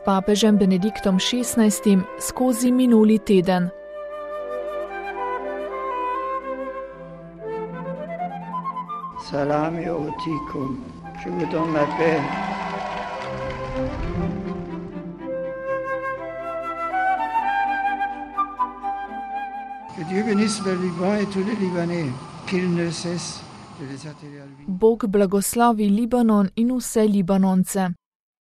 papežem Benediktom XVI skozi minuli teden. Salami otikum, je vous donne la paix. Que Dieu bénisse le Liban et tous les Libanais, qu'il ne cesse de les attirer à lui. Bog blagoslovi Libanon in vse Libanonce.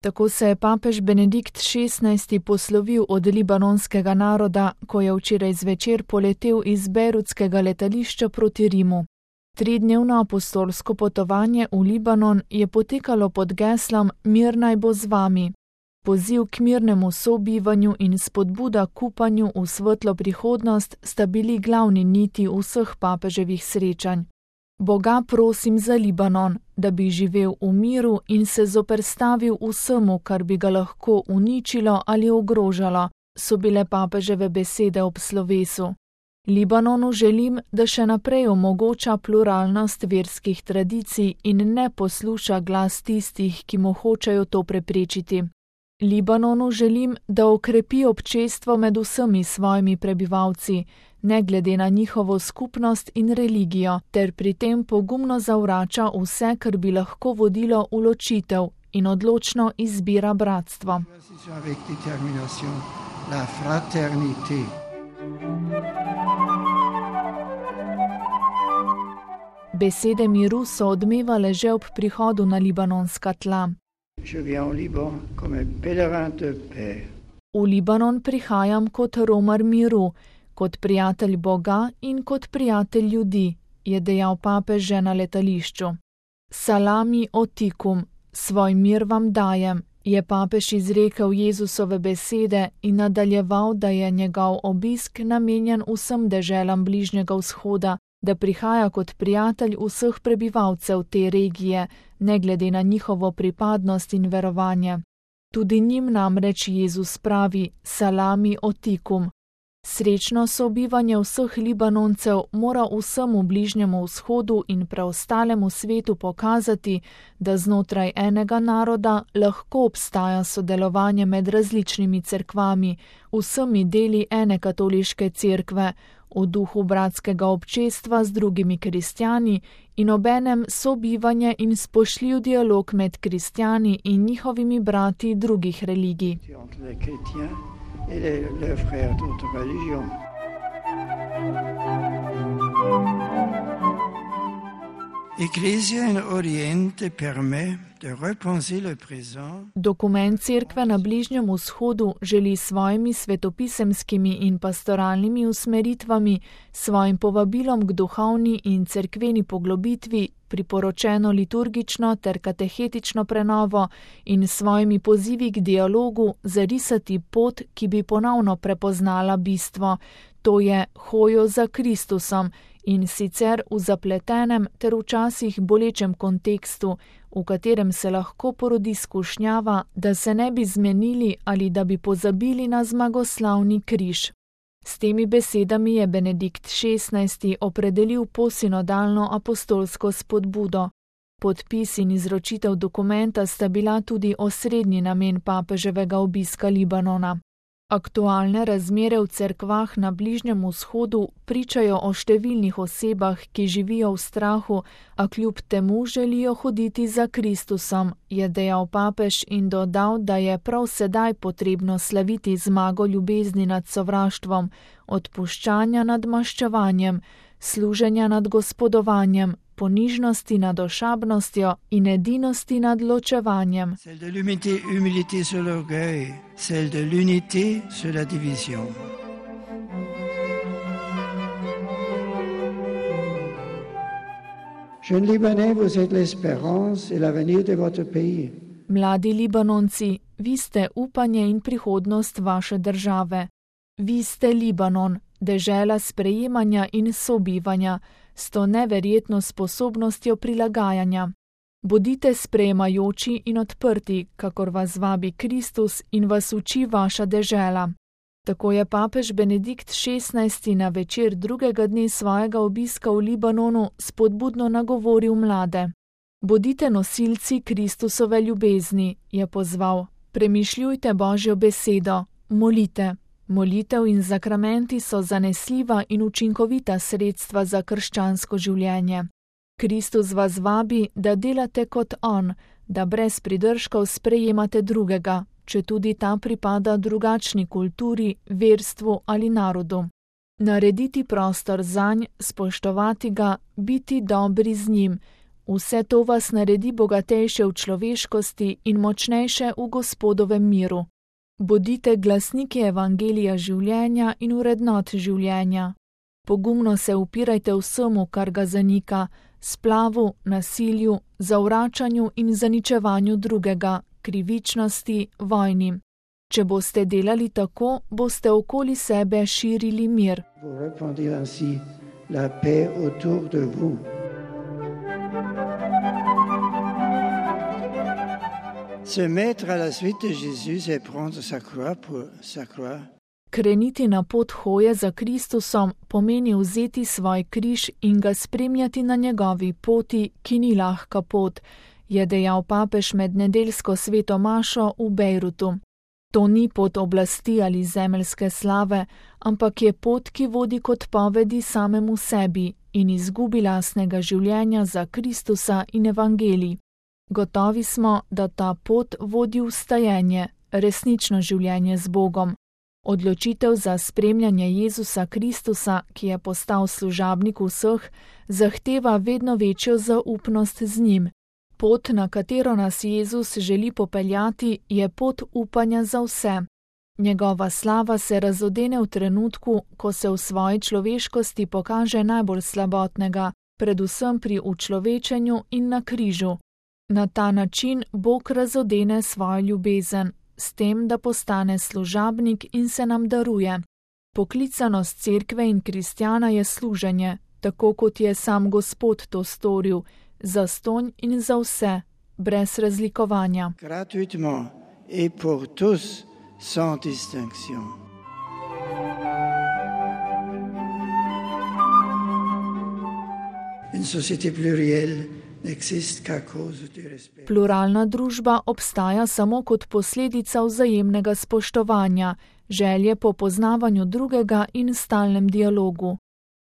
Tako se je papež Benedikt XVI poslovil od libanonskega naroda, ko je včeraj zvečer poletel iz bejrutskega letališča proti Rimu. 3-dnevno apostolsko potovanje v Libanon je potekalo pod geslom Mir naj bo z vami. Poziv k mirnemu sobivanju in spodbuda k upanju v svetlo prihodnost sta bili glavni niti vseh papeževih srečanj. Boga prosim za Libanon, da bi živel v miru in se zoperstavil vsemu, kar bi ga lahko uničilo ali ogrožalo, so bile papeževe besede ob slovesu. Libanonu želim, da še naprej omogoča pluralnost verskih tradicij in ne posluša glas tistih, ki mu hočejo to preprečiti. Libanonu želim, da okrepi občestvo med vsemi svojimi prebivalci, ne glede na njihovo skupnost in religijo, ter pri tem pogumno zavrača vse, kar bi lahko vodilo v ločitev in odločno izbira bratstvo. Besede miru so odmevale že ob prihodu na libanonska tla. V Libanon prihajam kot romar miru, kot prijatelj Boga in kot prijatelj ljudi, je dejal papež že na letališču. Salami otikum, svoj mir vam dajem, je papež izrekel Jezusove besede in nadaljeval, da je njegov obisk namenjen vsem deželam Bližnjega vzhoda, da prihaja kot prijatelj vseh prebivalcev te regije, ne glede na njihovo pripadnost in verovanje. Tudi njim namreč Jezus pravi salami otikum. Srečno sobivanje vseh Libanoncev mora vsemu Bližnjemu vzhodu in preostalemu svetu pokazati, da znotraj enega naroda lahko obstaja sodelovanje med različnimi cerkvami, vsemi deli ene katoliške cerkve, v duhu bratskega občestva z drugimi kristjani in obenem sobivanje in spoštljiv dialog med kristjani in njihovimi brati drugih religij. Dokument Cerkve na Bližnjem vzhodu želi s svojimi svetopisemskimi in pastoralnimi usmeritvami, svojim povabilom k duhovni in cerkveni poglobitvi, priporočeno liturgično ter katehetično prenovo in svojimi pozivi k dialogu zarisati pot, ki bi ponovno prepoznala bistvo, to je hojo za Kristusom, in sicer v zapletenem ter včasih bolečem kontekstu, v katerem se lahko porodi skušnjava, da se ne bi zmenili ali da bi pozabili na zmagoslavni križ. S temi besedami je Benedikt XVI opredelil posinodalno apostolsko spodbudo. Podpis in izročitev dokumenta sta bila tudi osrednji namen papeževega obiska Libanona. Aktualne razmere v cerkvah na Bližnjem vzhodu pričajo o številnih osebah, ki živijo v strahu, a kljub temu želijo hoditi za Kristusom, je dejal papež in dodal, da je prav sedaj potrebno slaviti zmago ljubezni nad sovraštvom, odpuščanja nad maščevanjem, služenja nad gospodovanjem, ponižnosti nad ošabnostjo in edinosti nad ločevanjem. Mladi Libanonci, vi ste upanje in prihodnost vaše države. Vi ste Libanon, dežela sprejemanja in sobivanja, s to neverjetno sposobnostjo prilagajanja. Bodite sprejemajoči in odprti, kakor vas vabi Kristus in vas uči vaša dežela. Tako je papež Benedikt XVI na večer drugega dne svojega obiska v Libanonu spodbudno nagovoril mlade. Bodite nosilci Kristusove ljubezni, je pozval. Premišljujte Božjo besedo, molite. Molitev in zakramenti so zanesljiva in učinkovita sredstva za krščansko življenje. Kristus vas vabi, da delate kot on, da brez pridržkov sprejemate drugega, četudi ta pripada drugačni kulturi, verstvu ali narodu. Narediti prostor zanj, spoštovati ga, biti dobri z njim, vse to vas naredi bogatejše v človeškosti in močnejše v Gospodovem miru. Bodite glasniki evangelija življenja in vrednot življenja. Pogumno se upirajte vsemu, kar ga zanika, splavu, nasilju, zavračanju in zaničevanju drugega, krivičnosti, vojni. Če boste delali tako, boste okoli sebe širili mir. Se mettre à la suite de Jésus et prendre sa croix pour sa croix. Kreniti na pot hoje za Kristusom pomeni vzeti svoj križ in ga spremljati na njegovi poti, ki ni lahka pot, je dejal papež med nedeljsko sveto mašo v Bejrutu. To ni pot oblasti ali zemeljske slave, ampak je pot, ki vodi k odpovedi samemu sebi in izgubi lastnega življenja za Kristusa in evangelij. Gotovi smo, da ta pot vodi v vstajenje, resnično življenje z Bogom. Odločitev za spremljanje Jezusa Kristusa, ki je postal služabnik vseh, zahteva vedno večjo zaupnost z njim. Pot, na katero nas Jezus želi popeljati, je pot upanja za vse. Njegova slava se razodene v trenutku, ko se v svoji človeškosti pokaže najbolj slabotnega, predvsem pri učlovečenju in na križu. Na ta način Bog razodene svojo ljubezen, s tem, da postane služabnik in se nam daruje. Poklicanost cerkve in kristjana je služenje, tako kot je sam Gospod to storil, zastonj in za vse, brez razlikovanja. Gratuitement et pour tous, sans distinction. Une société plurielle n'existe qu'à cause du respect. Pluralna družba obstaja samo kot posledica vzajemnega spoštovanja, želje po poznavanju drugega in stalnem dialogu.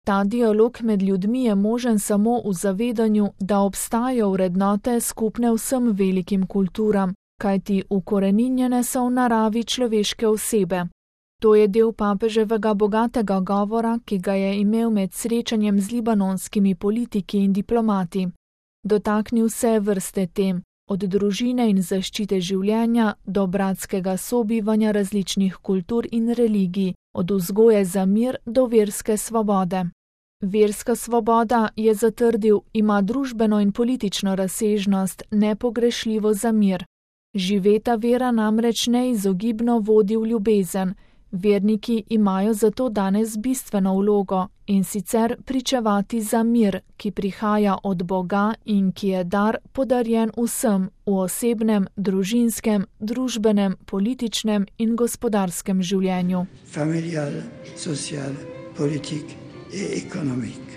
Ta dialog med ljudmi je možen samo v zavedanju, da obstajajo vrednote skupne vsem velikim kulturam, kajti ukoreninjene so v naravi človeške osebe. To je del papeževega bogatega govora, ki ga je imel med srečanjem z libanonskimi politiki in diplomati. Dotaknil se vrste tem, od družine in zaščite življenja do bratskega sobivanja različnih kultur in religij, od vzgoje za mir do verske svobode. Verska svoboda, je zatrdil, ima družbeno in politično razsežnost, nepogrešljivo za mir. Živeta vera namreč neizogibno vodi v ljubezen. Verniki imajo zato danes bistveno vlogo, in sicer pričevati za mir, ki prihaja od Boga in ki je dar podarjen vsem v osebnem, družinskem, družbenem, političnem in gospodarskem življenju. Familial, social, politik in ekonomik.